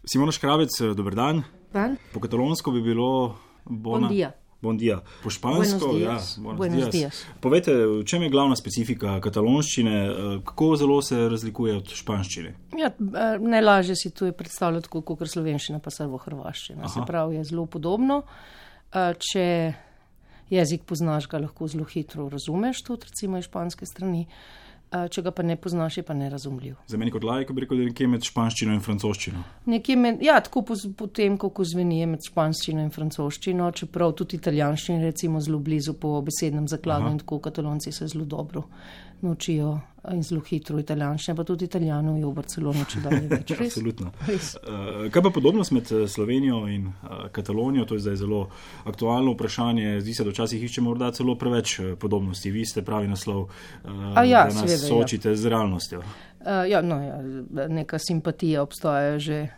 Simona Škrabec, dober dan. Dan. Po katalonsko bi bilo Bon dia. Bon dia. Po špansko, Buenos dias. Povejte, v čem je glavna specifika katalonščine, kako zelo se razlikuje od španščine? Ja, najlažje si tu je predstavljati, kot slovenščina pa servo hrvaščina. Se pravi, je zelo podobno. Če jezik poznaš, ga lahko zelo hitro razumeš, tudi recimo iz španske strani. Če ga pa ne poznaš, je pa nerazumljiv. Za meni kot laik bi rekel, da je nekje med španščino in francoščino. Tako potem, kako zveni med španščino in francoščino, čeprav tudi italijanščino recimo zelo blizu po besednem zakladu in tako katalonci se zelo dobro naučijo in zelo hitro italijanščine, pa tudi Italijanov je v Barceloni čedalje več. Absolutno. Kaj pa podobnost med Slovenijo in Katalonijo? To je zdaj zelo aktualno vprašanje. Zdi se, da včasih iščemo morda celo preveč podobnosti. Vi ste pravi naslov, da nas soočite z realnostjo. Neka simpatija obstaja že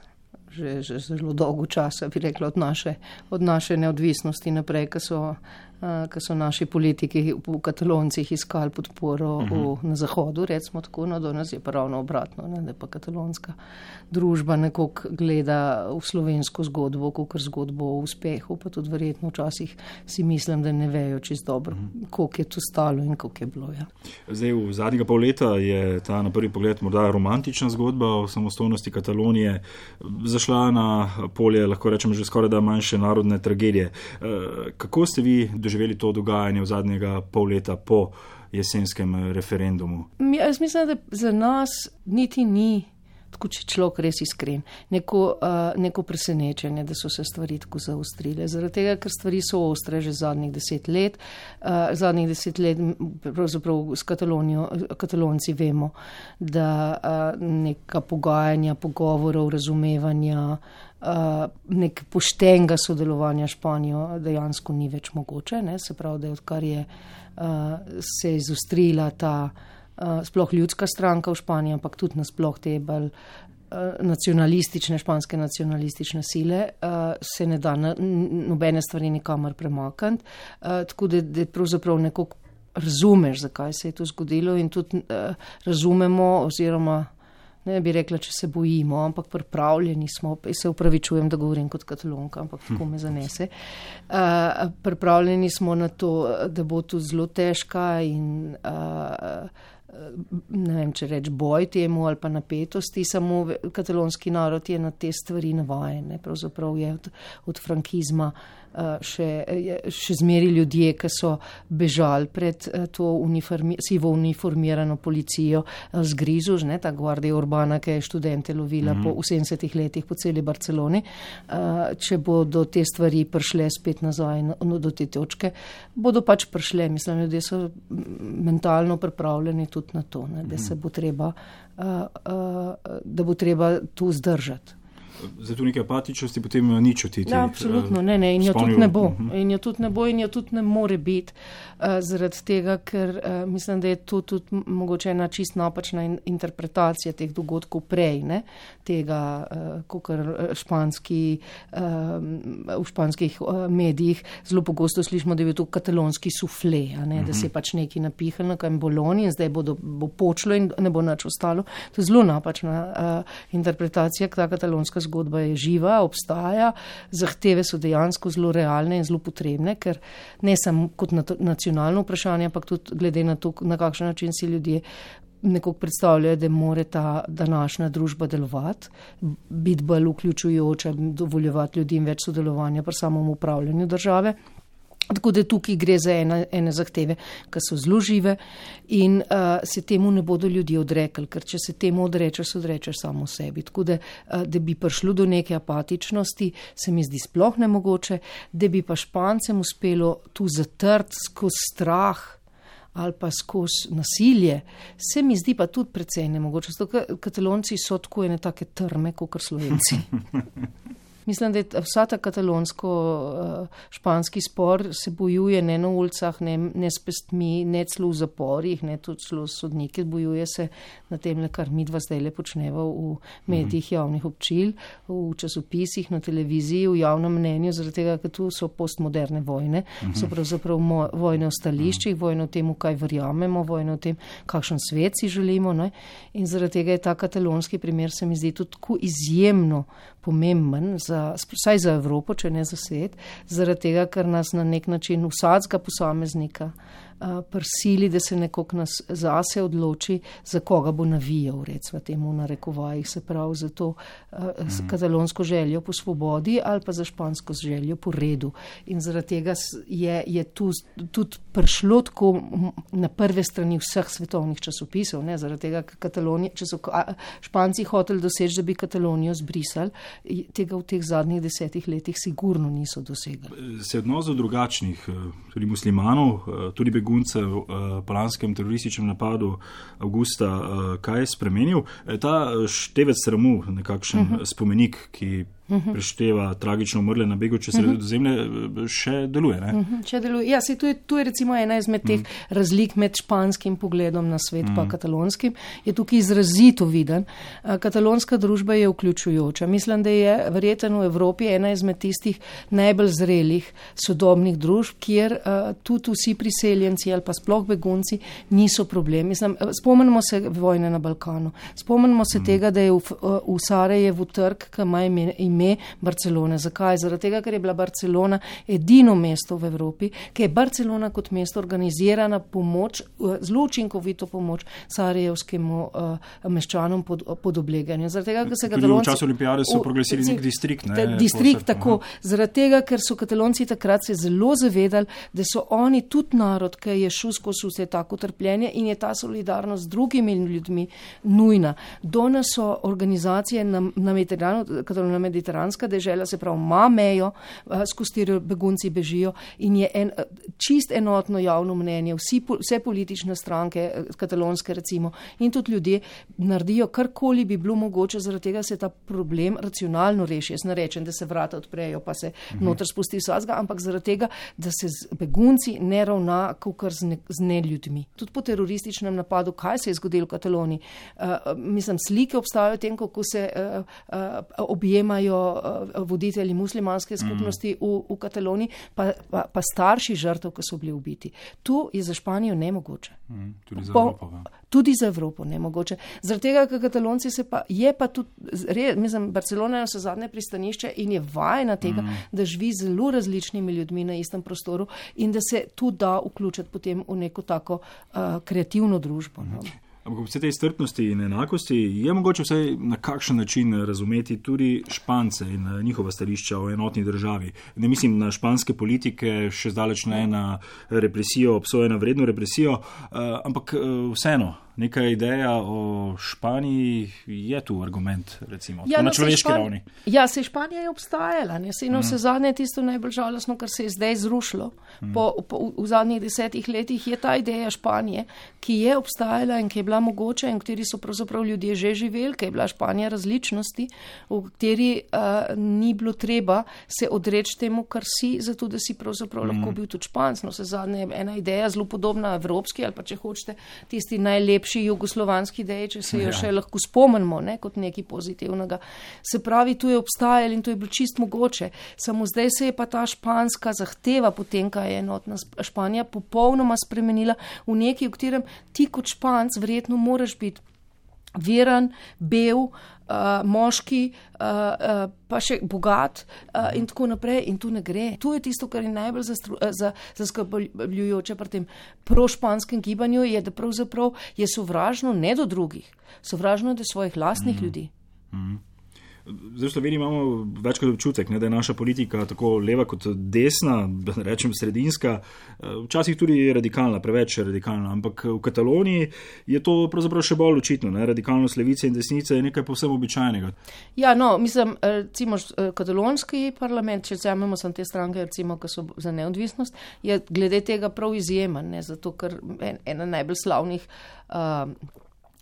zelo dolgo časa, bi rekla, od naše neodvisnosti naprej, ko so naši politiki v Kataloncih iskali podporo na Zahodu, recimo tako, do nas je pa ravno obratno, da pa katalonska družba nekako gleda v slovensko zgodbo, kakor zgodbo o uspehu, pa tudi verjetno včasih si mislim, da ne vejo čisto dobro, koliko je to stalo in koliko je bilo. Ja. Zdaj, v zadnjega pol leta je ta na prvi pogled morda romantična zgodba o samostojnosti Katalonije zašla na polje, lahko rečemo, že skoraj da manjše narodne tragedije. Kako ste vi doživeli to dogajanje v zadnjega pol leta po jesenskem referendumu? Jaz mislim, da za nas niti ni, tako če človek res iskren, neko presenečenje, da so se stvari tako zaostrile. Zaradi tega, ker stvari so ostre že zadnjih 10 let. Zadnjih 10 let pravzaprav s Katalonci vemo, da neka pogajanja, pogovorov, razumevanja, nek poštenega sodelovanja Španijo dejansko ni več mogoče. Ne? Se pravi, da odkar je se izostrila ta sploh ljudska stranka v Španiji, ampak tudi nasploh te bolj španske nacionalistične sile, se ne da nobene stvari nikamor premakniti. Tako da pravzaprav nekako razumeš, zakaj se je to zgodilo in tudi razumemo oziroma ne bi rekla, če se bojimo, ampak pripravljeni smo, se upravičujem, da govorim kot Katalonka, ampak tako me zanese. Pripravljeni smo na to, da bo to zelo težka in ne vem, če reč boj temu ali pa napetosti, samo katalonski narod je na te stvari navajen. Pravzaprav je od frankizma še zmeri ljudje, ki so bežali pred to sivo uniformirano policijo z grizu, ta Guardia Urbana, ki je študente lovila v 70 letih po celi Barceloni. Če bodo te stvari prišle spet nazaj do te točke, bodo pač prišle. Mislim, ljudje so mentalno pripravljeni tudi na to, da se bo treba, da bo treba tu zdržati. Zato neke apatičnosti potem ni čutiti. Ja, absolutno, ne, in jo tudi ne bo. In jo tudi ne bo in jo tudi ne more biti, zaradi tega, ker mislim, da je to tudi mogoče ena čist napačna interpretacija teh dogodkov prej, ne, tega, kakor v španskih medijih zelo pogosto slišimo, da je to katalonski sufle, da se je pač nekaj napihnilo, kaj je Boloni in zdaj bo počlo in ne bo nič ostalo. To je zelo napačna interpretacija, ta katalonska zgodba je živa, obstaja, zahteve so dejansko zelo realne in zelo potrebne, ker ne samo kot nacionalno vprašanje, ampak tudi glede na to, na kakšen način si ljudje nekako predstavljajo, da more ta današnja družba delovati, biti bolj vključujoča, dovoljevati ljudem več sodelovanja pri samem upravljanju države. Tako da tukaj gre za ene zahteve, ki so zelo žive in se temu ne bodo ljudje odrekli, ker če se temu odrečeš samo sebi. Tako da bi prišlo do neke apatičnosti, se mi zdi sploh nemogoče, da bi pa Špancem uspelo tu zatrti skozi strah ali pa skozi nasilje, se mi zdi pa tudi precej nemogoče. Zato Katalonci so tako ene take trme, kot Slovenci. Mislim, da je vsa ta katalonsko-španski spor se bojuje ne na ulicah, ne s pestmi, ne celo v zaporih, ne tudi celo sodnike, bojuje se na tem, kar midva zdaj počneva v medijih javnih občil, v časopisih, na televiziji, v javnem mnenju, zaradi tega, ker tu so postmoderne vojne, so pravzaprav vojne o stališčih, vojne o tem, v kaj verjamemo, vojne o tem, kakšen svet si želimo. Ne? In zaradi tega je ta katalonski primer, se mi zdi, tudi tako izjemno pomemben, vsaj za Evropo, če ne za svet, zaradi tega, ker nas na nek način vsakega posameznika prisili, da se nekako nas zase odloči, za koga bo navijal, recimo temu narekovajih, se pravi za to katalonsko željo po svobodi ali pa za špansko željo po redu. In zaradi tega je tu tudi prišlo tako na prve strani vseh svetovnih časopisov, ne, zaradi tega, če so Španci hoteli doseči, da bi Katalonijo zbrisali, tega v teh zadnjih 10 letih sigurno niso dosegli. Se odnos do drugačnih, tudi muslimanov, tudi beguncev po lanskem terorističnem napadu avgusta, kaj je spremenil? Ta števec sramu, nekakšen spomenik, ki prešteva tragično umrle na begu čez Sredozemlje, še deluje, ne? Še deluje. Ja, tu je recimo ena izmed teh razlik med španskim pogledom na svet pa katalonskim. Je tukaj izrazito viden. Katalonska družba je vključujoča. Mislim, da je verjetno v Evropi ena izmed tistih najbolj zrelih sodobnih družb, kjer tudi vsi priseljenci ali pa sploh begunci niso problem. Mislim, spomnimo se vojne na Balkanu. Spomnimo se tega, da je v Sarajevu trg, ki ima ime Barcelone. Zakaj? Zaradi tega, ker je bila Barcelona edino mesto v Evropi, ki je Barcelona kot mesto organizirana pomoč, zelo učinkovito pomoč sarajevskemu meščanom pod obleganjem. Zaradi tega, ker se Katalonci... V času olimpijade so proglasili nek distrikt, ne? Distrikt, tako. Zaradi tega, ker so Katalonci takrat se zelo zavedali, da so oni tudi narod, ki je šel skozi vse tako trpljenje in je ta solidarnost z drugimi ljudmi nujna. Danes so organizacije na mediteranska dežela, se pravi, ima mejo, skozi katero begunci bežijo in je čist enotno javno mnenje, vse politične stranke, katalonske recimo, in tudi ljudje naredijo karkoli bi bilo mogoče, zaradi tega se ta problem racionalno reši. Jaz ne rečem, da se vrata odprejo, pa se noter spusti vsega, ampak zaradi tega, da se z begunci ne ravna kakor z neljudmi. Tudi po terorističnem napadu, kaj se je zgodilo v Kataloniji? Mislim, slike obstajajo o tem, kako se objemajo voditelji muslimanske skupnosti v Kataloniji, pa starši žrtev, ki so bili ubiti. Tu je za Španijo nemogoče. Tudi za Evropo. Tudi za Evropo nemogoče. Zaradi tega, ker Katalonci je pa tudi, mislim, Barcelona je vse zadnje pristanišče in je vajena tega, da živi z zelo različnimi ljudmi na istem prostoru in da se tu da vključiti potem v neko tako kreativno družbo. No. Ampak vse te strpnosti in enakosti je mogoče vsaj na kakšen način razumeti tudi Špance in njihova stališča o enotni državi. Ne mislim na španske politike, še zdaleč ne na represijo, obsojeno vredno represijo, ampak vseeno. Neka ideja o Španiji je tu argument, recimo, na človeški ravni. Ja, se Španija je obstajala, ne, se vse zadnje tisto najbolj žalostno, kar se je zdaj zrušilo. V zadnjih 10 letih je ta ideja Španije, ki je obstajala in ki je bila mogoča in v kateri so pravzaprav ljudje že živeli, ki je bila Španija različnosti, v kateri ni bilo treba se odreči temu, kar si, zato da si pravzaprav lahko bil tudi Španc. No, vse zadnje je ena ideja zelo podobna evropski ali pa če hočete tisti najlepši jugoslovanski ideji, če se jo še lahko spomnimo, ne, kot nekaj pozitivnega. Se pravi, tu je obstajalo in to je bilo čist mogoče. Samo zdaj se je pa ta španska zahteva potem, kaj je enotna Španija, popolnoma spremenila v nekaj, v katerem ti kot Španc verjetno moraš biti veren, bel, moški, pa še bogat in tako naprej in tu ne gre. Tu je tisto, kar je najbolj zaskrbljujoče pri tem prošpanskem gibanju, je, da pravzaprav je sovražno ne do drugih, sovražno do svojih lastnih ljudi. Zdaj v Sloveniji imamo večkrat občutek, ne, da je naša politika tako leva kot desna, rečem sredinska, včasih tudi radikalna, preveč radikalna, ampak v Kataloniji je to pravzaprav še bolj očitno, ne, radikalnost levice in desnice je nekaj povsem običajnega. Ja, no, mislim, recimo katalonski parlament, če vzamemo samo te stranke, recimo, ki so za neodvisnost, je glede tega prav izjemen, ne, zato ker ena najbolj slavnih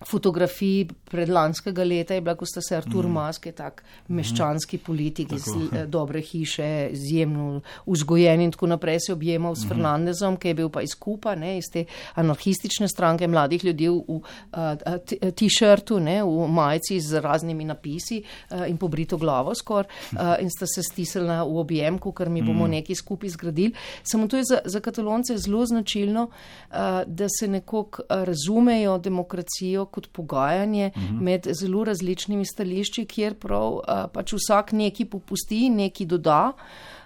fotografij predlanskega leta je bila, ko sta se Artur Mas, ki je tak meščanski politik iz dobre hiše, izjemno vzgojen in tako naprej, se objemal s Fernandezom, ki je bil pa iz Kupa, ne, iz te anarhistične stranke mladih ljudi v t-shirtu, ne, v majici z raznimi napisi in pobrito glavo skoraj in sta se stisnila v objemku, ker mi bomo nekaj skupaj zgradili. Samo to je za Katalonce zelo značilno, da se nekako razumejo demokracijo kot pogajanje med zelo različnimi stališči, kjer prav pač vsak neki popusti, neki doda.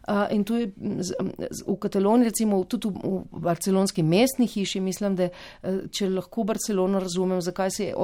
In to je v Kataloniji, recimo tudi v barcelonski mestni hiši, mislim, da če lahko Barcelono razumem, zakaj se je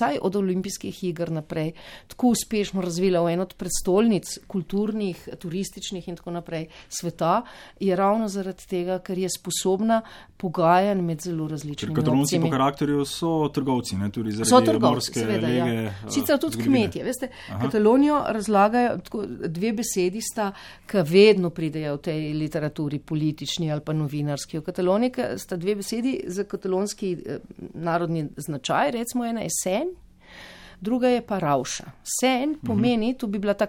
saj od olimpijskih iger naprej tako uspešno razvila v eno od prestolnic kulturnih, turističnih in tako naprej sveta, je ravno zaradi tega, ker je sposobna pogajanj med zelo različnimi opcijami. Katalonci po karakterju so trgovci, ne, tudi zaradi morske lege. Ja. Sicer tudi kmetje, veste, Katalonijo razlagajo, tako, dve besedi sta, ki vedno pridejo v tej literaturi politični ali pa novinarski. V Kataloniji sta dve besedi za katalonski narodni značaj, recimo ena je sen, druga je pa ravša. Sen pomeni, to bi bila ta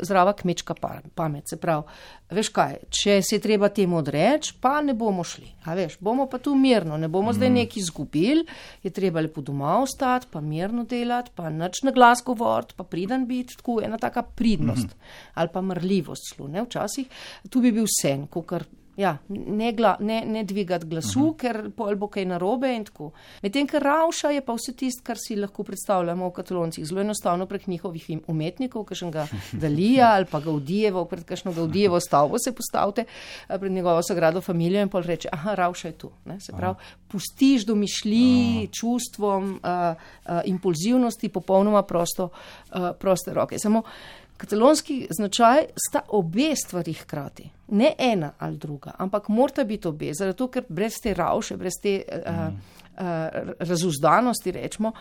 zdrava kmečka pamet, se pravi, veš kaj, če se je treba temu odreči, pa ne bomo šli, a veš, bomo pa tu mirno, ne bomo zdaj nekaj izgubili, je treba lepo doma ostati, pa mirno delati, pa nič na glas govoriti, pa priden biti, tako ena taka pridnost ali pa mrljivost slu, ne, včasih, tu bi bil sen, kakor ja, ne dvigati glasu, ker pol bo kaj narobe in tako. Medtem, ker ravša je pa vse tisto, kar si lahko predstavljamo v Kataloncih, zelo enostavno prek njihovih umetnikov, kakšnega Dalija ali pa Gaudijevo, pred kakšno Gaudijevo stavbo se postavite, pred njegovo sagrado familijo in pol reče, aha, ravša je tu. Ne? Se pravi, pustiš domišljiji, čustvom, impulzivnosti, popolnoma proste roke. Samo katalonski značaj sta obe stvari hkrati. Ne ena ali druga, ampak morata biti obe, zato ker brez te ravše, brez te razuzdanosti, rečemo,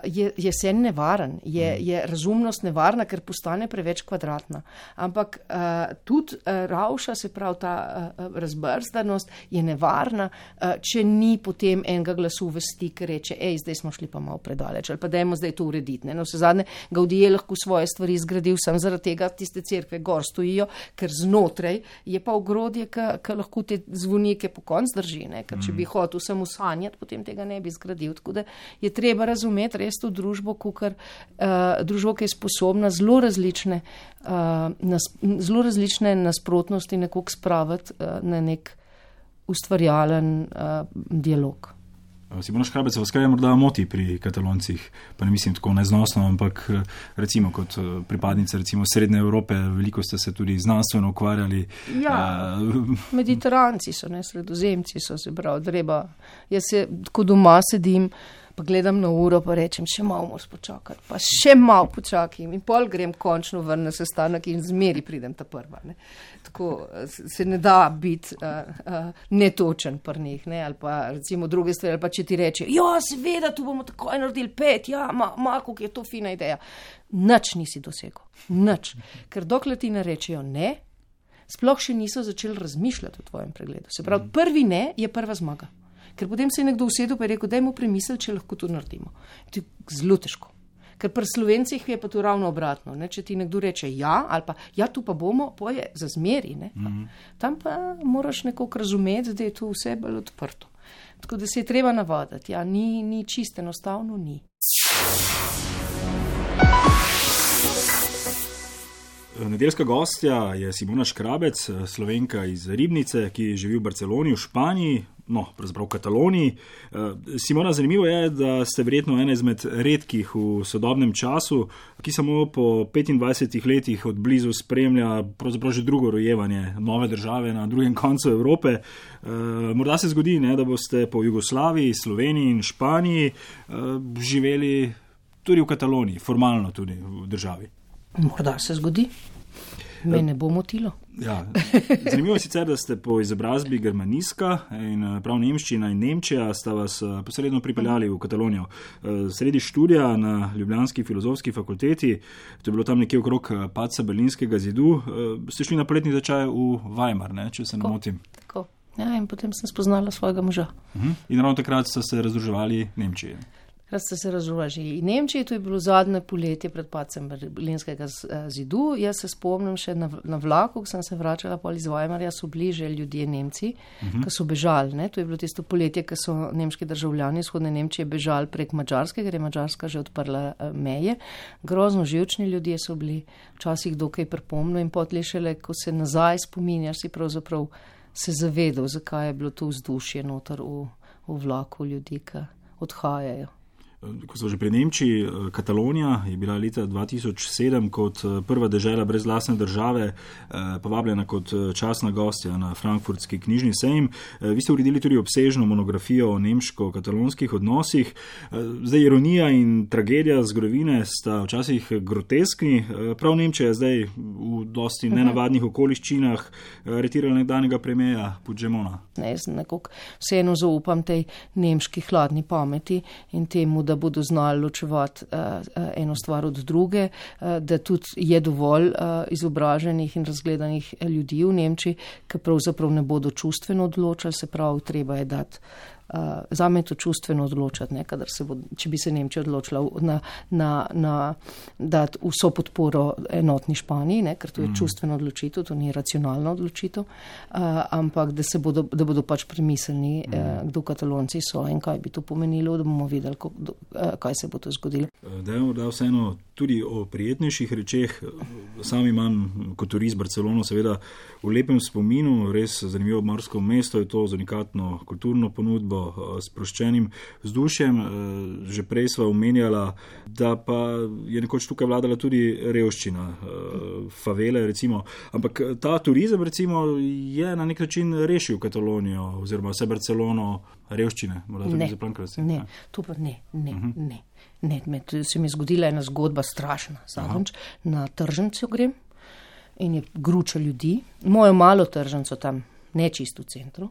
je sen nevaren, je razumnost nevarna, ker postane preveč kvadratna. Ampak tudi ravša, se pravi ta razbrzdanost, je nevarna, če ni potem enega glasu vesti, ki reče, zdaj smo šli pa malo predaleč, ali pa dajmo zdaj to urediti. No, vse zadnje, Gaudí je lahko svoje stvari zgradil sam zaradi tega, tiste cerkve gor stojijo, ker znotraj je pa ogrodje, ki lahko te zvonike po konc drži, ne? Ker če bi hotel samo sanjati, potem tega ne bi zgradil. Tako da je treba razumeti res to družbo, družbo, ki je sposobna zelo različne nasprotnosti nekako spraviti na nek ustvarjalen dialog. Simona Škrabec, vas kaj morda moti pri Kataloncih, pa ne mislim tako neznosno, ampak recimo kot pripadnica recimo Srednje Evrope, veliko ste se tudi znanstveno ukvarjali. Ja, Mediteranci so, ne, Sredozemci so, se pravi, treba. Jaz se tako doma sedim, pa gledam na uro, pa rečem, še malo moraš počakati, pa še malo počakam in pol grem končno ven na sestanek in zmeri pridem ta prva. Ne. Tako se ne da biti netočen pri njih, ne, ali pa recimo druge stvari, ali pa če ti reče, ja, seveda, tu bomo takoj naredili 5, ja, kako je to fina ideja. Nič nisi dosegel, nič. Ker dokler ti ne rečejo ne, sploh še niso začeli razmišljati o tvojem pregledu. Se pravi, prvi ne je prva zmaga. Ker potem se je nekdo usedel pa je rekel, dajmo premisliti, če lahko to naredimo. To je zelo težko. Ker pri Slovencih je pa to ravno obratno. Ne? Če ti nekdo reče ja, ali pa ja, tu pa bomo, poje za zmeri. Ne? Tam pa moraš nekako razumeti, da je to vse bolj odprto. Tako da se je treba navaditi. Ja, ni čisto enostavno, ni. Nedeljska gostja je Simona Škrabec, Slovenka iz Ribnice, ki živi v Barceloni, v Španiji, no, pravzaprav v Kataloniji. Simona, zanimivo je, da ste verjetno ena izmed redkih v sodobnem času, ki samo po 25 letih od blizu spremlja pravzaprav že drugo rojevanje nove države na drugem koncu Evrope. Morda se zgodi, ne, da boste po Jugoslaviji, Sloveniji in Španiji živeli tudi v Kataloniji, formalno tudi v državi. Morda se zgodi. Me ne bo motilo. Ja. Zanimivo je sicer, da ste po izobrazbi germanistka in prav nemščina in Nemčija sta vas posredno pripeljali v Katalonijo. Sredi študija na Ljubljanski filozofski fakulteti, to je bilo tam nekje okrog padca Berlinskega zidu, ste šli na poletni tečaj v Weimar, ne, če se ne motim. Tako. Ja, in potem sem spoznala svojega moža. In ravno takrat ste se razdruževali Nemčiji. Takrat ste se razdružili Nemčiji, to je bilo zadnje poletje pred padcem Berlinskega zidu. Jaz se spomnim še na vlaku, ko sem se vračala pol iz Weimarja, so bili že ljudje Nemci, ki so bežali. Ne? To je bilo tisto poletje, ko so nemški državljani vzhodne Nemčije bežali prek Madžarske, ker je Madžarska že odprla meje. Grozno živčni ljudje so bili, včasih dokaj pripomno in potlej šele, ko se nazaj spominjaš, si pravzaprav se zavedal, zakaj je bilo to vzdušje noter v vlaku ljudi, ki odhajajo. Ko so že pri Nemčiji, Katalonija je bila leta 2007 kot prva dežela brez lastne države povabljena kot častna gostja na frankfurtski knjižni sejem. Vi ste uredili tudi obsežno monografijo o nemško-katalonskih odnosih. Zdaj ironija in tragedija zgodovine sta včasih groteskni. Prav Nemčija je zdaj v dosti nenavadnih okoliščinah aretirala nekdanjega premierja Puigdemona. Jaz nekako vseeno zaupam tej nemški hladni pameti in temu, da bodo znali ločevati eno stvar od druge, da tudi je dovolj izobraženih in razgledanih ljudi v Nemčiji, ki pravzaprav ne bodo čustveno odločali, se pravi, treba je dati. Zame je to čustveno odločati, ne, če bi se Nemčija odločila dati vso podporo enotni Španiji, ne, ker to je čustveno odločitev, to ni racionalna odločitev, ampak da bodo pač premisleni, kdo Katalonci so in kaj bi to pomenilo, da bomo videli, kaj se bo to zgodilo. Da vseeno tudi o prijetnejših rečeh. Sam imam kot turist Barcelono seveda v lepem spominu, res zanimivo obmorsko mesto, je to z unikatno kulturno ponudbo, sproščenim vzdušjem. Že prej sva omenjala, da pa je nekoč tukaj vladala tudi revščina, favele recimo, ampak ta turizem recimo je na nek način rešil Katalonijo oziroma vse Barcelono revščine. Ne, to pa ne. Ne, se mi je zgodila ena zgodba strašna. Zadnjič na tržnico grem in je gruča ljudi. Mojo malo tržnico tam, ne čisto v centru.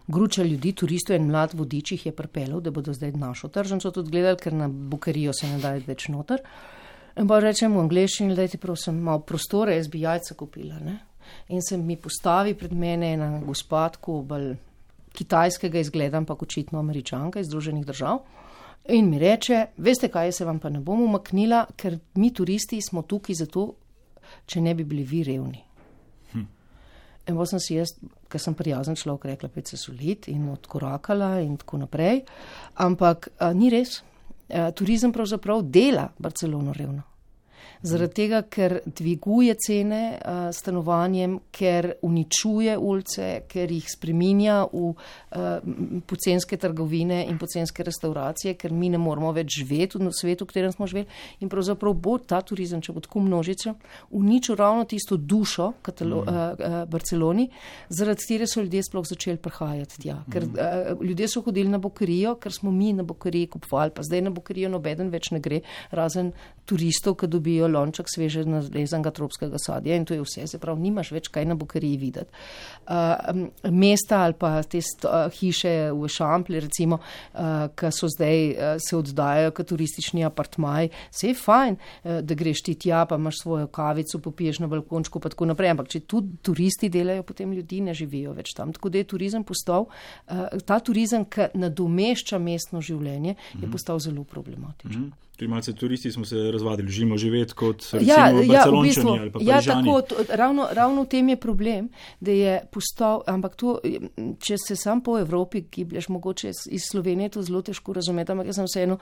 Gruča ljudi, turistov in mlad vodič jih je pripeljal, da bodo zdaj našo tržnico tudi gledali, ker na Bukerijo se ne daje več noter. In pa rečem v angleščini, dajte prosim malo prostore, jaz bi jajca kupila. Ne? In se mi postavi pred mene ena gospodko, bolj kitajskega izgleda, ampak očitno Američanka iz Združenih držav. In mi reče, veste kaj, se vam pa ne bom umaknila, ker mi turisti smo tukaj zato, če ne bi bili vi revni. In pa sem si jaz, ker sem prijazen človek, rekla, pet se solit in odkorakala in tako naprej. Ampak ni res. Turizem pravzaprav dela Barcelono revno. Zaradi tega, ker dviguje cene stanovanjem, ker uničuje ulice, ker jih spreminja v pocenske trgovine in pocenske restauracije, ker mi ne moramo več živeti v svetu, v katerem smo živeli. In pravzaprav bo ta turizem, če bo tako množica, uničil ravno tisto dušo Barceloni, zaradi katere so ljudje sploh začeli prihajati tja. Ker ljudje so hodili na Bukerijo, ker smo mi na Bukeriji kupovali, pa zdaj na Bukerijo nobeden več ne gre, razen turistov, ki dobijo lonček sveže narezanega tropskega sadja in to je vse, se pravi, nimaš več kaj na Bukeriji videti. Mesta ali pa te hiše v Šampli, recimo, ki so zdaj se oddajajo kot turistični apartmaji, se je fajn, da greš ti tja, pa imaš svojo kavico, popiješ na balkončku, pa tako naprej, ampak če tudi turisti delajo, potem ljudi ne živijo več tam. Tako da je turizem postal, ta turizem, ki nadomešča mestno življenje, je postal zelo problematičen. Tudi malce turisti smo se razvadili, živimo živeti kot recimo Barcelončani ali pa Parižani. Ravno v tem je problem, da je postal, ampak to, če se sam po Evropi giblješ, mogoče iz Slovenije to zelo težko razumeti, ampak jaz sem vseeno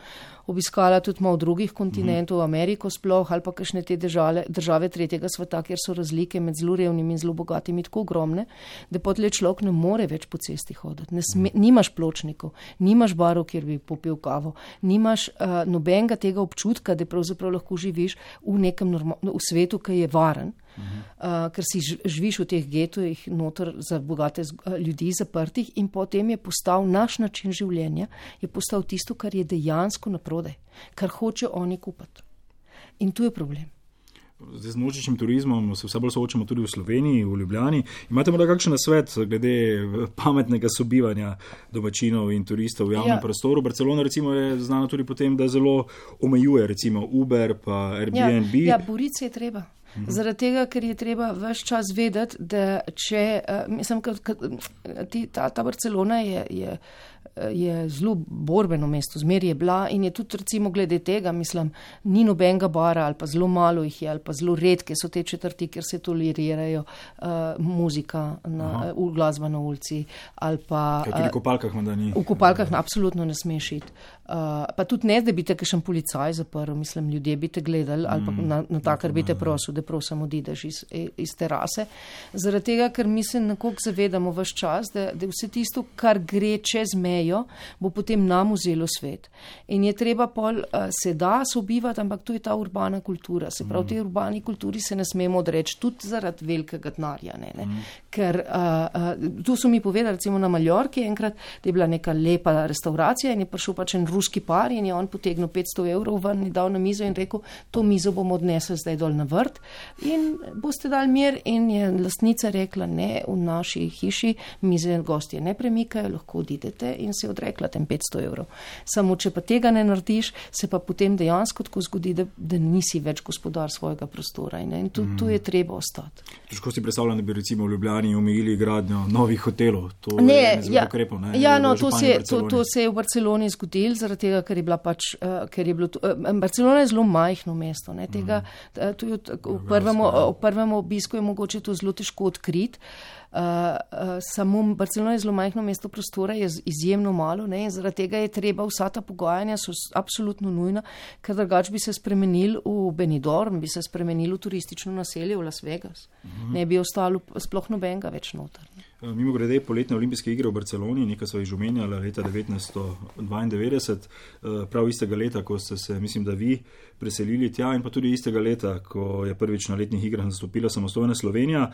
obiskala tudi malo drugih kontinentov, Ameriko sploh ali pa kakšne te države tretjega sveta, kjer so razlike med zelo revnimi in zelo bogatimi tako ogromne, da potlej človek ne more več po cesti hoditi. Nimaš pločnikov, nimaš barov, kjer bi popil kavo, nimaš nobenega tega občutka, da pravzaprav lahko živiš v nekem v svetu, ki je varen, ker si živiš v teh getojih noter za bogate ljudi zaprtih in potem je postal naš način življenja, je postal tisto, kar je dejansko naprodaj, kar hoče oni kupiti. In tu je problem. Zdaj z množičnim turizmom se vse bolj soočamo tudi v Sloveniji, v Ljubljani. Imate morda kakšen nasvet glede pametnega sobivanja domačinov in turistov v javnem prostoru? Barcelona recimo je znana tudi po tem, da zelo omejuje recimo Uber pa Airbnb. Ja, boriti se je treba. Zaradi tega, ker je treba ves čas vedeti, da če, mislim, ta Barcelona je zelo borbeno mesto, zmeri je bila in je tudi recimo glede tega, mislim, ni nobenega bara ali pa zelo malo jih je ali pa zelo redke so te četrti, kjer se tolerirajo muzika, glasba na ulici ali pa... Tudi v kopalkah menda ni. V kopalkah absolutno ne smeš iti. Pa tudi ne, da bi te kakšen policaj zaprl, mislim, ljudje bi te gledali ali pa na takar bi te prosil, da prosim odideš iz terase. Zaradi tega, ker mi se nekako zavedamo ves čas, da vse tisto, kar gre čez mejo, mejo, bo potem nam vzelo svet. In je treba se da sobivati, ampak to je ta urbana kultura. Se pravi, tej urbani kulturi se ne smemo odreči, tudi zaradi velikega denarja. Ker tu so mi povedali, recimo na Maljorki enkrat, da je bila neka lepa restauracija in je prišel pač en ruski par in je on potegnil 500 evrov ven in dal na mizo in rekel, to mizo bomo odnesli zdaj dol na vrt in boste dali mir. In je lastnica rekla, ne, v naši hiši mize gostje ne premikajo, lahko odidete, in se je odrekla tem 500 evrov. Samo, če pa tega ne narediš, se pa potem dejansko tako zgodi, da nisi več gospodar svojega prostora in tu je treba ostati. Težko si predstavljam, da bi recimo v Ljubljani omejili gradnjo novih hotelov. To je zelo ukrepov, ne? Ja, no, to se je v Barceloni zgodilo, zaradi tega, ker je bila pač, Barcelona je zelo majhno mesto, ne, tega, v prvem obisku je mogoče to zelo težko odkriti. Samo Barcelona je zelo majhno mesto, prostora je izjemno malo, ne, in zaradi tega je treba, vsa ta pogajanja so absolutno nujna, ker drugače bi se spremenili v Benidorm, bi se spremenili v turistično naselje v Las Vegas. Ne bi ostalo sploh nobenega več noter. Mimo grede, poletne olimpijske igre v Barceloni, nekaj so jih že omenjali, leta 1992, prav istega leta, ko ste se, mislim, da vi preselili tja, in pa tudi istega leta, ko je prvič na letnih igrah nastopila samostojna Slovenija.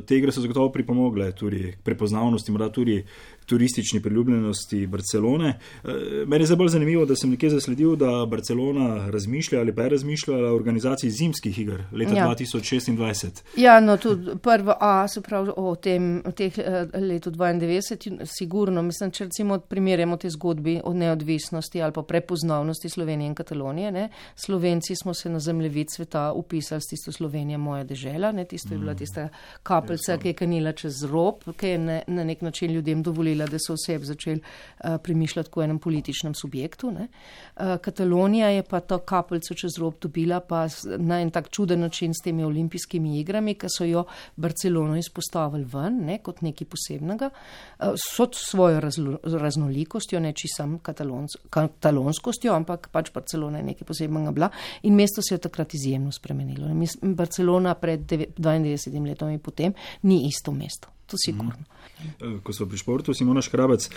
Te igre so zagotovo pripomogle tudi k prepoznavnosti, morda tudi turistični priljubljenosti Barcelone. Meni je zdaj bolj zanimivo, da sem nekje zasledil, da Barcelona razmišlja ali pa je razmišljala o organizaciji zimskih iger leta 2026. Ja, no, tudi prvo se pravi o teh letu 92, sigurno, mislim, če recimo primerjamo te zgodbi o neodvisnosti ali pa prepoznavnosti Slovenije in Katalonije, ne. Slovenci smo se na zemljevid sveta upisali s tisto Slovenija moja dežela, ne, tisto je bila tista kapljica, ki je kanila čez rob, ki je na nek način ljudem dovolila, da so oseb začeli premišljati kot enem političnem subjektu, ne. Katalonija je pa to kapljico čez rob dobila pa na en tak čuden način s temi olimpijskimi igrami, ki so jo Barcelono izpostavili ven, ne, kot nekaj posebnega, so svojo raznolikostjo, ne čisam katalonskostjo, ampak pač Barcelona je nekaj posebnega bila in mesto se je takrat izjemno spremenilo. Barcelona pred 92 letom in potem ni isto mesto. To sigurno. Ko so pri športu, Simona Škrabec,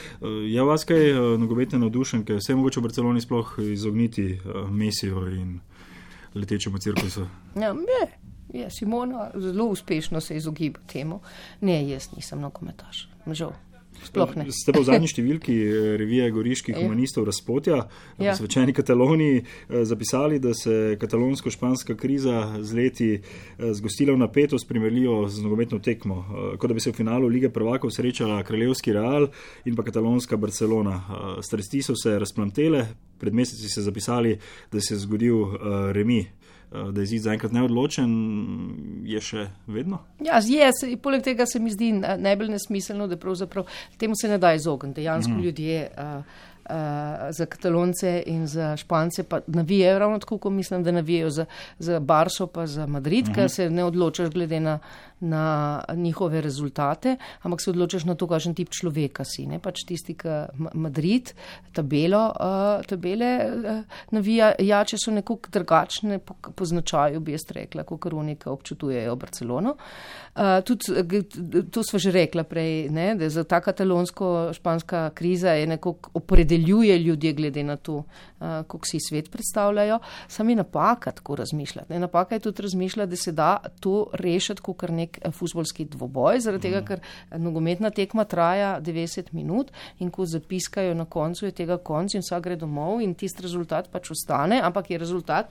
je vas kaj nogometne navdušenke, vse mogoče v Barceloni sploh izogniti Messiju in letečemu cirkusu? Ja, je, Simona zelo uspešno se izogiba temu. Ne, jaz nisem nogometaš, žal. Sploh ne. Ste pa v zadnji številki revije Goriških humanistov Razpotja v svečeni Kataloniji zapisali, da se katalonsko-španska kriza z leti zgostila v napetost primerljivo z nogometno tekmo, kot da bi se v finalu Lige prvakov srečala kraljevski Real in pa katalonska Barcelona. Strasti so se razplamtele, pred meseci ste zapisali, da se je zgodil remi. Da je izid zaenkrat neodločen, je še vedno? Ja, je. Poleg tega se mi zdi najbolj nesmiselno, da pravzaprav temu se ne da izogniti. Dejansko ljudje za Katalonce in za Špance pa navijajo ravno tako, ko mislim, da navijajo za Barso pa za Madrid, ker se ne odločaš glede na njihove rezultate, ampak se odločaš na to, kakšen tip človeka si. Ne? Pač tisti, ki Madrid, tabele navijače so nekako drugačne po značaju, bi jaz rekla, kot oni, ki občutujejo Barcelono. Tudi to sva že rekla prej, ne? Da za ta katalonsko-španska kriza je nekako opredeljuje ljudje glede na to, kako si svet predstavljajo. Sam je napaka tako razmišljati. Ne? Napaka je tudi razmišljati, da se da to rešiti kot kar nek fuzbolski dvoboj, zaradi tega, ker nogometna tekma traja 90 minut in ko zapiskajo na koncu, je tega konc in vsak gre domov in tisti rezultat pač ostane, ampak je rezultat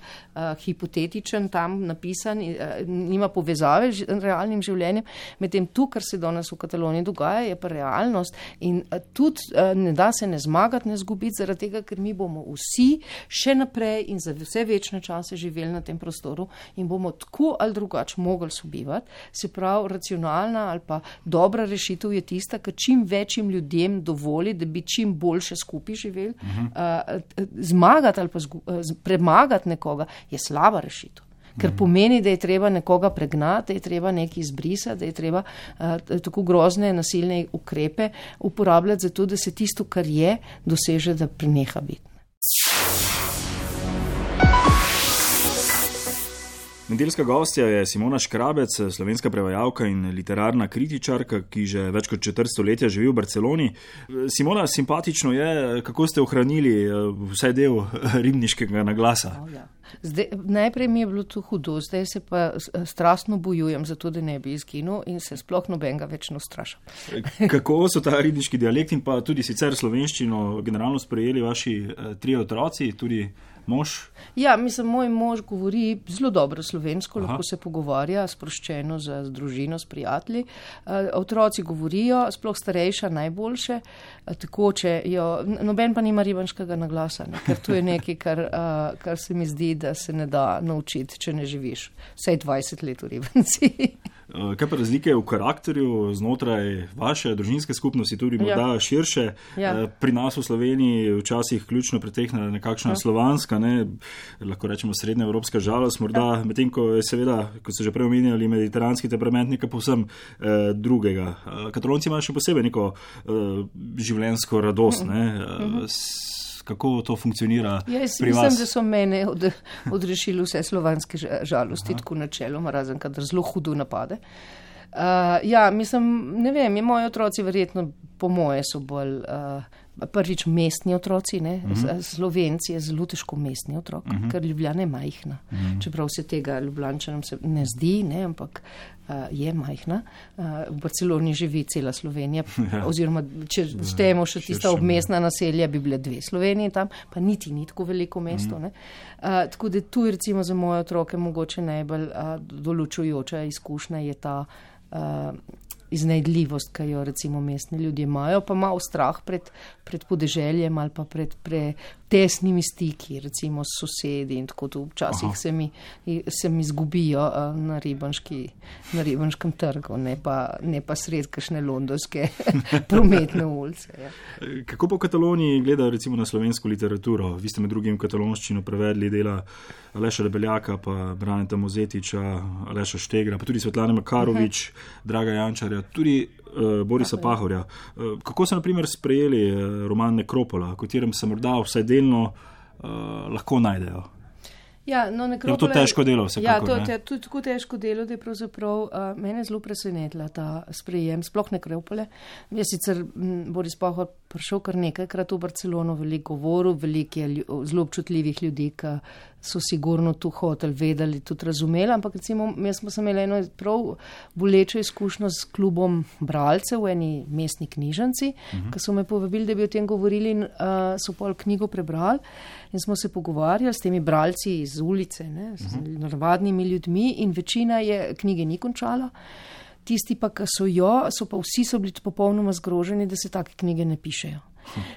hipotetičen, tam napisan, nima povezave z realnim življenjem. Medtem tu, kar se danes v Kataloniji dogaja, je pa realnost in tudi ne da se ne zmagati, ne zgubiti, zaradi tega, ker mi bomo vsi še naprej in za vse večne čase živeli na tem prostoru in bomo tako ali drugače mogli sobivati. Se pravi, racionalna ali pa dobra rešitev je tista, ki čim večjim ljudem dovoli, da bi čim boljše skupaj živeli. Zmagati ali pa premagati nekoga je slaba rešitev. Ker pomeni, da je treba nekoga pregnati, da je treba nekaj izbrisati, da je treba tako grozne nasilne ukrepe uporabljati za to, da se tisto, kar je, doseže, da preneha biti. Nedeljska gostja je Simona Škrabec, slovenska prevajalka in literarna kritičarka, ki že več kot četrt stoletja živi v Barceloni. Simona, simpatično je, kako ste ohranili vsaj del ribniškega naglasa. Najprej mi je bilo to hudo, zdaj se pa strastno bojujem za to, da ne bi izginil in se sploh nobenega več ne ustrašam. Kako so ta ribniški dialekt in pa tudi sicer slovenščino generalno sprejeli vaši 3 otroci, tudi mož? Ja, mislim, moj mož govori zelo dobro slovensko, lahko se pogovarja sproščeno z družino, s prijatelji. Otroci govorijo, sploh starejša najboljše, tekoče jo, noben pa nima ribanškega naglasa, ne? Ker to je nekaj, kar se mi zdi, da se ne da naučiti, če ne živiš vsaj 20 let v Ribanci. Kaj pa razlike v karakterju znotraj vaše družinske skupnosti, tudi morda širše? Pri nas v Sloveniji včasih ključno pretehna nekakšna slovanska, lahko rečemo srednjeevropska žalost, morda medtem, ko je seveda, kot ste že prej omenjali, mediteranski temperament nekaj povsem drugega. Katalonci imajo še posebej neko življenjsko radost, Kako to funkcionira pri vas? Mislim, da so mene odrešili vse slovanske žalosti, tako načeloma, razen kadar zelo hudo napade. Mislim, ne vem, moji otroci verjetno po moje so bolj prvič mestni otroci, Slovenci je zelo težko mestni otrok, ker Ljubljana je majhna. Čeprav se tega Ljubljančanom se ne zdi, ampak je majhna. V Barceloni živi cela Slovenija, oziroma če štejemo še tista obmestna naselja, bi bile 2 Slovenije tam, pa niti ni tako veliko mesto. Tako da tu je recimo za moje otroke mogoče najbolj določujoča izkušnja je ta iznajdljivost, ki jo recimo mestni ljudje imajo, pa malo strah pred podeželjem ali pa pred tesnimi stiki, recimo s sosedi in tako to včasih se mi izgubijo na Ribanškem trgu, ne pa sred kakšne londonske prometne ulice. Ja. Kako po Kataloniji gledajo recimo na slovensko literaturo? Vi ste med drugim katalonščino prevedli dela Aleša Debeljaka, pa Braneta Mozetiča, Aleša Štegra, pa tudi Svetlane Makarovič, Draga Jančarja, tudi Borisa Pahorja. Kako so na primer sprejeli roman Nekropola, v katerem se morda vsaj delno lahko najdejo? Nekropola je to težko delo, vsekakor. To je tako težko delo, da je pravzaprav mene zelo presenetila ta sprejem, sploh Nekropole. Je sicer Boris Pahor prišel kar nekajkrat v Barcelono, veliko govoril, veliko je zelo občutljivih ljudi, ki so sigurno tu hotel, vedeli, tudi razumeli, ampak recimo jaz smo imeli eno prav bolečo izkušnjo s klubom bralcev v eni mestni knjižnici, ki so me povabili, da bi o tem govorili in so pol knjigo prebrali in smo se pogovarjali s temi bralci iz ulice, z navadnimi ljudmi in večina je knjige ni končala. Tisti pa, ki so pa vsi so bili popolnoma zgroženi, da se take knjige ne pišejo.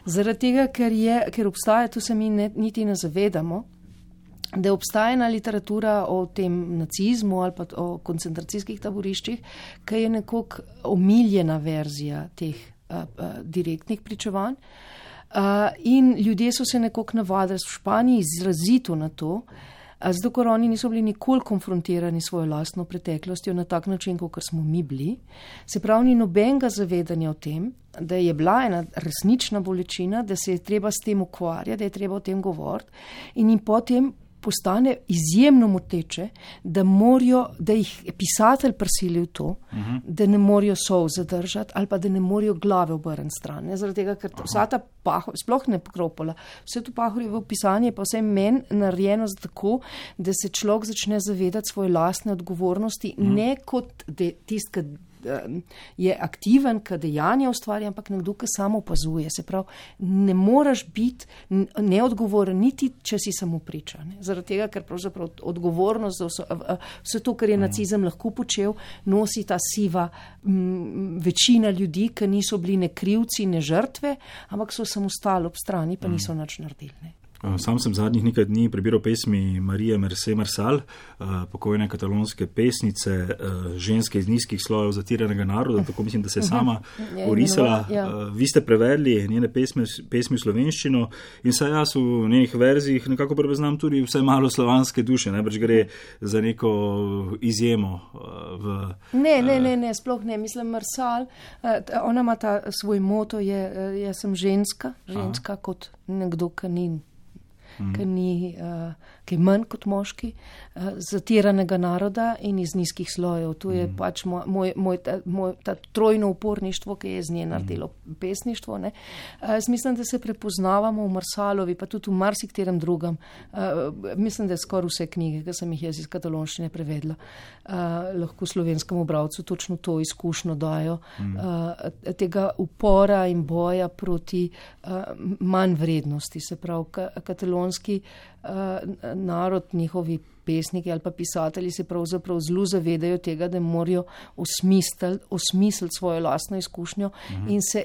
Zaradi tega, ker obstaja, tu se mi niti ne zavedamo, da obstaja ena literatura o tem nacizmu ali pa o koncentracijskih taboriščih, ki je nekoliko omiljena verzija teh direktnih pričevanj. In ljudje so se nekoliko navadili v Španiji izrazito na to, zato ker oni niso bili nikoli konfrontirani s svojo lastno preteklostjo na tak način, kot smo mi bili. Se pravi, ni nobenega zavedanja o tem, da je bila ena resnična bolečina, da se je treba s tem ukvarjati, da je treba o tem govoriti in jim potem postane izjemno moteče, da jih pisatelj prisili v to, da ne morajo solz zadržati ali pa da ne morajo glave obrniti stran. Zaradi tega, ker vsa ta sploh ne Nekropola, vse to Pahorjevo pisanje pa vse meni narejeno tako, da se človek začne zavedati svoje lastne odgovornosti, ne kot tisti, je aktiven, ki dejanja ustvarja, ampak nekdo, ki samo opazuje. Se pravi, ne moraš biti neodgovoren, niti če si samo priča. Zaradi tega, ker pravzaprav odgovornost za vse to, kar je nacizem lahko počel, nosi ta siva večina ljudi, ki niso bili ne krivci, ne žrtve, ampak so samo stali ob strani, pa niso nič naredili. Sam sem zadnjih nekaj dni prebiral pesmi Marije Mercé Marsal, pokojne katalonske pesnice, ženske iz nizkih slojev zatiranega naroda, tako mislim, da se je sama orisala. Vi ste prevedli njene pesmi v slovenščino in saj jaz v njenih verzijih nekako prepoznam tudi vsaj malo slovanske duše, najbrž gre za neko izjemo. Ne, sploh ne. Mislim, Marsal, ona ima svoj moto, jaz sem ženska kot nekdo, ki ni ki je manj kot moški, zatiranega naroda in iz nizkih slojev. To je pač ta trojno uporništvo, ki je z nje naredilo pesništvo. Ne. Mislim, da se prepoznavamo v Marsalovi, pa tudi v marsikterem drugem. Mislim, da je skoraj vse knjige, ki sem jih jaz iz katalonščine prevedla, lahko slovenskemu bralcu točno to izkušnjo dajo, tega upora in boja proti manj vrednosti. Se pravi, katalonski narod, njihovi pesniki ali pa pisatelji se pravzaprav zelo zavedajo tega, da morajo osmisliti svojo lastno izkušnjo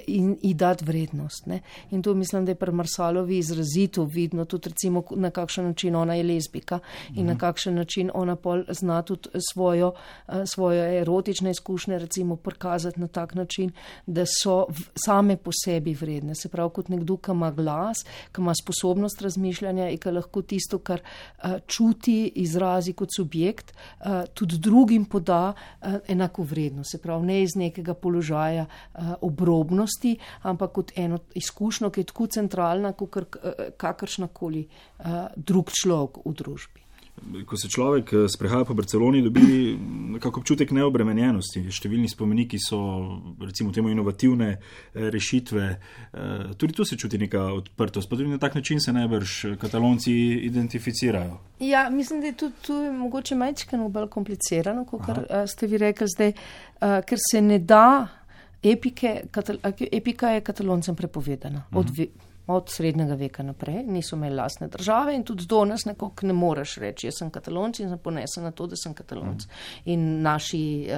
in ji dati vrednost. Ne? In to mislim, da je pri Marsalovi izrazito vidno, tudi recimo na kakšen način ona je lezbika in na kakšen način ona pol zna tudi svoje erotične izkušnje recimo prikazati na tak način, da so same po sebi vredne. Se pravi, kot nekdo, ki ima glas, ki ima sposobnost razmišljanja in ki lahko tisto, kar čuti, izrazi kot subjekt, tudi drugim poda enako vredno. Se pravi, ne iz nekega položaja obrobnosti, ampak kot eno izkušnjo, ki je tako centralna, kot kakršnakoli drug človek v družbi. Ko se človek sprehaja po Barceloni, dobi nekako občutek neobremenjenosti. Številni spomeniki so, recimo temu, inovativne rešitve. Tudi tu se čuti neka odprtost, pa tudi na tak način se najbrž Katalonci identificirajo. Ja, mislim, da je tudi mogoče majčkeno bolj komplicirano, kot ste vi rekli zdaj, ker se ne da, epika je Kataloncem prepovedana. Od srednjega veka naprej, niso imeli lastne države in tudi do nas nekako ne moreš reči, jaz sem Katalonc in sem ponesen na to, da sem Katalonc. In naši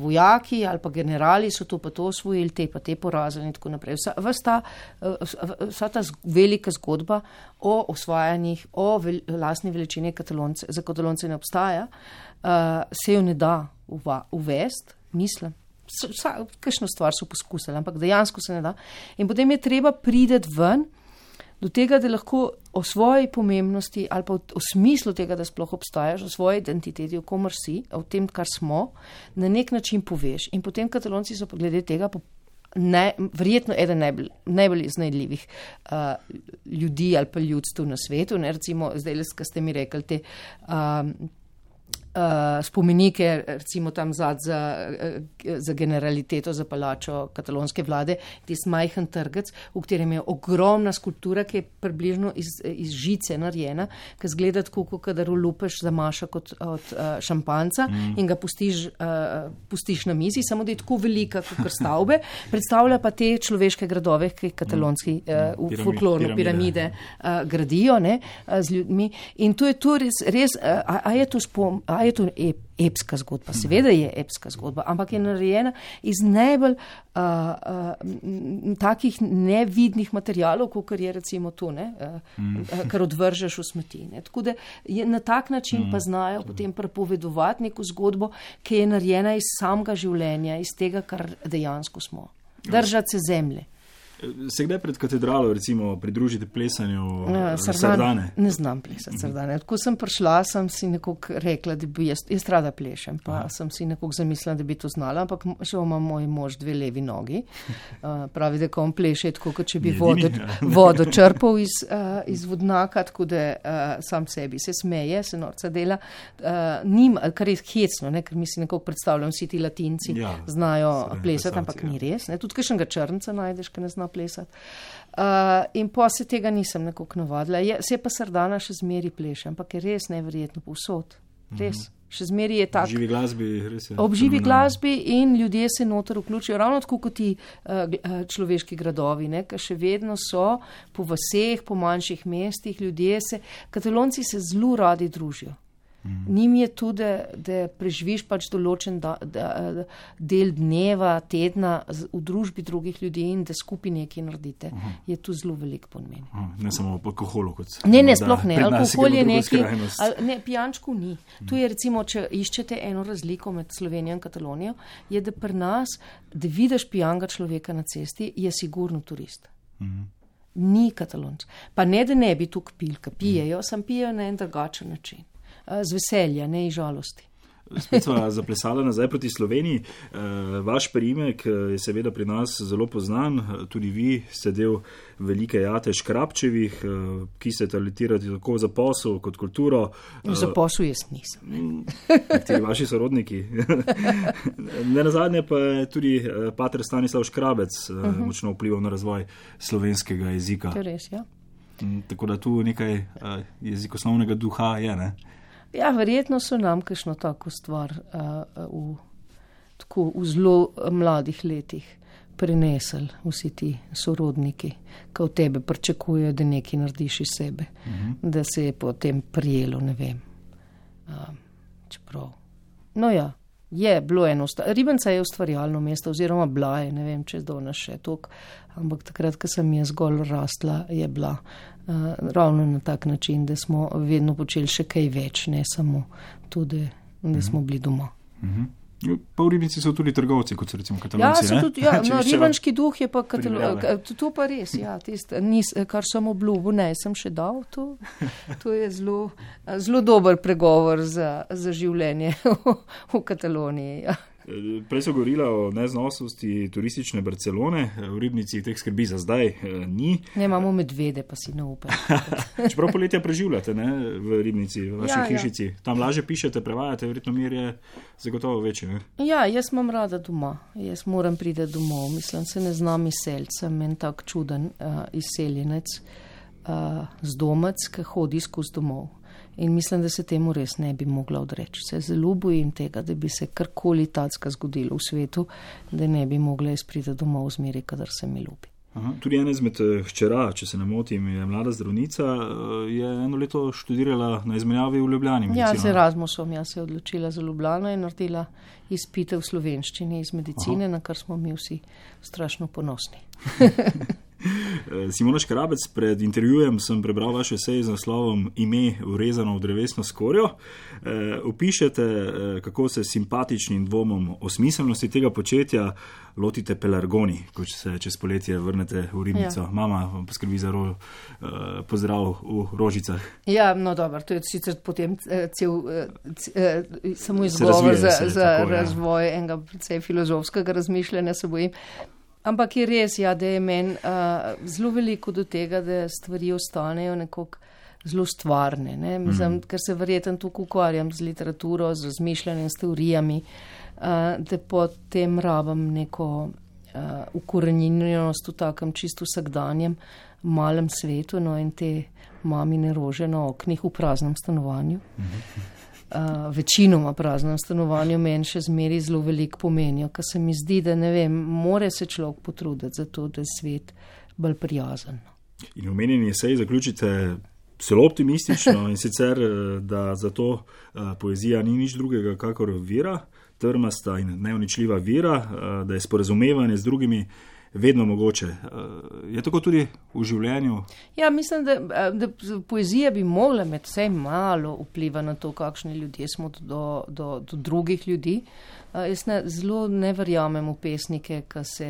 vojaki ali pa generali so to pa to osvojili, te pa te porazili in tako naprej. Vsa ta velika zgodba o osvajanjih, o lastni veličini za Katalonce ne obstaja, se jo ne da uvesti, mislim. Kakšno stvar so poskusili, ampak dejansko se ne da. In potem je treba priti ven do tega, da lahko o svoji pomembnosti ali pa o smislu tega, da sploh obstajaš, o svoji identiteti, o komor si, o tem, kar smo, na nek način poveš. In potem Katalonci so glede tega verjetno eden najbolj iznajdljivih ljudi ali pa ljudstv na svetu. Ne? Recimo, zdaj, ko ste mi rekli te spomenike, recimo tam za generaliteto, za palačo katalonske vlade, tisti majhen trgec, v katerem je ogromna skulptura, ki je približno iz žice narejena, ki zgleda tako, kadar lupeš za maša kot od šampanca in ga pustiš na mizi, samo da je tako velika kot stavbe, predstavlja pa te človeške gradove, ki katalonski v folklorno piramide gradijo, ne, z ljudmi. In to je to res, a je to epska zgodba. Seveda je epska zgodba, ampak je narejena iz najbolj takih nevidnih materialov, kot je recimo to, kar odvržeš v smeti. Ne. Tako da je na tak način pa znajo potem prepovedovati neko zgodbo, ki je narejena iz samega življenja, iz tega, kar dejansko smo. Držati se zemlje. Se kdaj pred katedralo, recimo, pridružite plesanju sardane? Ne znam plesati sardane. Ko sem prišla, sem si nekako rekla, da bi jaz rada plešem, pa sem si nekako zamislila, da bi to znala, ampak še ima moj mož 2 levi nogi. Pravi, da ko on pleše, tako kot če bi vodo črpal iz vodnaka, tako da sam sebi se smeje, se norca dela. Kar je hecno, ker mi si nekako predstavljam, vsi ti Latinci znajo plesati, ampak ni res. Tudi kakšnega črnca najdeš, ki ne zna plesati. In pa se tega nisem nekako navadila. Se pa sardana še zmeri pleše, ampak je res neverjetno povsod. Res. Še zmeri je tak. Živi glasbi, res je. Ob živi glasbi in ljudje se noter vključijo, ravno tako kot ti človeški gradovi, ki še vedno so po vaseh, po manjših mestih, Katalonci se zelo radi družijo. Njim je tudi, da preživiš pač določen del dneva, tedna v družbi drugih ljudi in da skupaj nekaj naredite. Je tu zelo veliko pomeni. Ne samo po alkoholu kot. Ne, sploh ne. Alkohol je nekaj. Ne, pijančku ni. Tu je recimo, če iščete eno razliko med Slovenijo in Katalonijo, je, da pri nas, da vidiš pijanga človeka na cesti, je sigurno turist. Ni Katalonc. Pa ne, da ne bi tukaj pil, ki pijejo, sam pijejo na en drugačen način. Z veselja, ne iz žalosti. spet sva zaplesala nazaj proti Sloveniji. Vaš priimek je seveda pri nas zelo poznan, tudi vi ste del velike jate Škrabčevih, ki se talentirate tako za posel kot kulturo. Za posel jaz nisem. Nekateri vaši sorodniki. Nenazadnje pa je tudi pater Stanislav Škrabec močno vplival na razvoj slovenskega jezika. To je res, ja. Tako da tu nekaj jezikoslovnega duha je, ne? Ja, verjetno so nam kakšno tako stvar v zelo mladih letih prenesli vsi ti sorodniki, ki od tebe pričakujejo, da nekaj narediš iz sebe, da se je potem prijelo, ne vem. Čeprav. No ja, je bilo eno. Ribenca je ustvarjalno mesto, oziroma bila je, ne vem, če je danes še toliko, ampak takrat, ko sem jaz zgolj rasla, je bila ravno na tak način, da smo vedno počeli še kaj več, ne samo tudi, da smo bili doma. Pa v Ribnici so tudi trgovci, kot so recimo Katalonci, ne? Tudi, ja, no, ribanški duh je pa to pa res, ja, kar sem obljubil, ne, sem še dal, to je zelo dober pregovor za življenje v Kataloniji, ja. Prej so govorila o neznosnosti turistične Barcelone, v Ribnici teh skrbi za zdaj ni. Ne, imamo medvede, pa si ne upaj. Čeprav poletja preživljate, ne, v Ribnici, v vaši hišici. Tam lažje pišete, prevajate, verjetno mir je zagotovo večji, ne? Ja, jaz imam rada doma. Jaz moram priti domov. Mislim, se ne znam izseliti, sem en tak čuden izseljenec z domec, ki hodi skozi domov. In mislim, da se temu res ne bi mogla odreči. Se zelo bojim tega, da bi se karkoli tacka zgodilo v svetu, da ne bi mogla izpriti domov zmeri, kadar se mi ljubi. Aha, tudi ena izmed hčera, če se ne motim, je mlada zdravnica, je eno leto študirala na izmenjavi v Ljubljani. Ja, z Erasmusom, se je odločila za Ljubljano in naredila izpite v slovenščini iz medicine, na kar smo mi vsi strašno ponosni. Simona Škrabec, pred intervjujem sem prebral vaš esej z naslovom Ime vrezano v drevesno skorjo. Opišete, kako se simpatičnim dvomom o smiselnosti tega početja lotite pelargoni, ko se čez poletje vrnete v Ribnico. Ja. Mama vam poskrbi za pozdrav v Rožicah. Ja, no dobro, to je sicer potem samo izgovor za razvoj enega precej filozofskega razmišljanja, se bojim. Ampak je res, ja, da je meni zelo veliko do tega, da stvari ostanejo nekako zelo stvarne. Ne? Mislim, ker se verjetno tukaj ukvarjam z literaturo, z razmišljanjem, s teorijami, da potem rabim neko ukorenjenost v takem čisto vsakdanjem malem svetu, no, in te mamine rože na oknih v praznem stanovanju. Večinoma praznem stanovanju meni še zmeri zelo veliko pomenijo, ker se mi zdi, da ne vem, more se človek potruditi za to, da je svet bolj prijazen. In omenjeni esej zaključite zelo optimistično in sicer, da zato poezija ni nič drugega kakor vira, trmasta in neuničljiva vira, da je sporazumevanje z drugimi vedno mogoče. Je tako tudi v življenju? Ja, mislim, da poezija bi mogla med vsej malo vpliva na to, kakšni ljudje smo do drugih ljudi. Jaz zelo ne verjamem v pesnike, ki se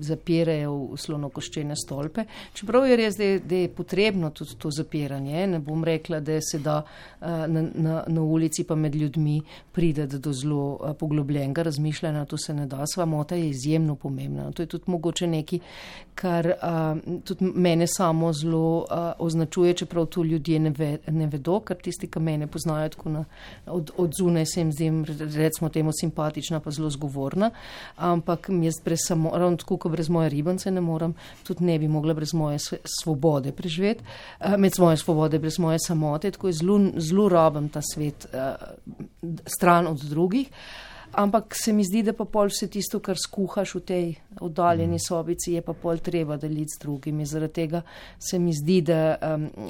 zapirajo v slonokoščene stolpe. Čeprav je res, da je potrebno tudi to zapiranje. Ne bom rekla, da se da na ulici pa med ljudmi prideti do zelo poglobljenega razmišljanja. To se ne da. Samota je izjemno pomembna. To je tudi mogoče nekaj, kar tudi mene samo zelo označuje, čeprav to ljudje ne vedo, ker tisti, ki mene poznajo tako od zunaj, se jim zdi, recimo temu simpatična, pa zelo zgovorna, ampak jaz ravno tako, ko brez moje ribance ne morem, tudi ne bi mogla brez moje svobode preživeti, med svoje svobode, brez moje samote, tako je zelo rabim ta svet stran od drugih. Ampak se mi zdi, da pa pol vse tisto, kar skuhaš v tej oddaljeni sobici, je pa pol treba deliti z drugimi. Zaradi tega se mi zdi, da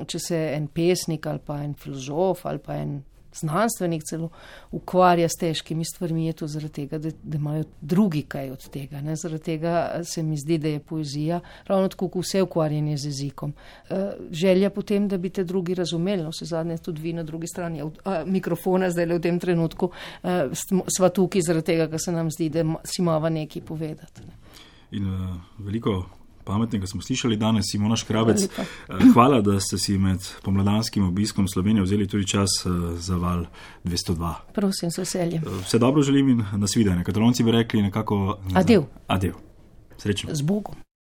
če se en pesnik ali pa en filozof ali pa en znanstvenik celo ukvarja s težkimi stvarmi, je to zaradi tega, da imajo drugi kaj od tega. Ne? Zaradi tega se mi zdi, da je poezija ravno tako, kot vse ukvarjanje z jezikom. Želja potem, da bi te drugi razumeli, no, vse zadnje tudi vi na drugi strani mikrofona, zdaj le v tem trenutku sva tukaj zaradi tega, ker se nam zdi, da si mava nekaj povedati. Ne? In veliko pametnega smo slišali danes, Simona Škrabec. Hvala, da ste si med pomladanskim obiskom Slovenije vzeli tudi čas za val 202. Prosim, z veseljem. Vse dobro želim in nasvidenje. Katalonci bi rekli nekako... Adev. Adev. Srečno. Z Bogom.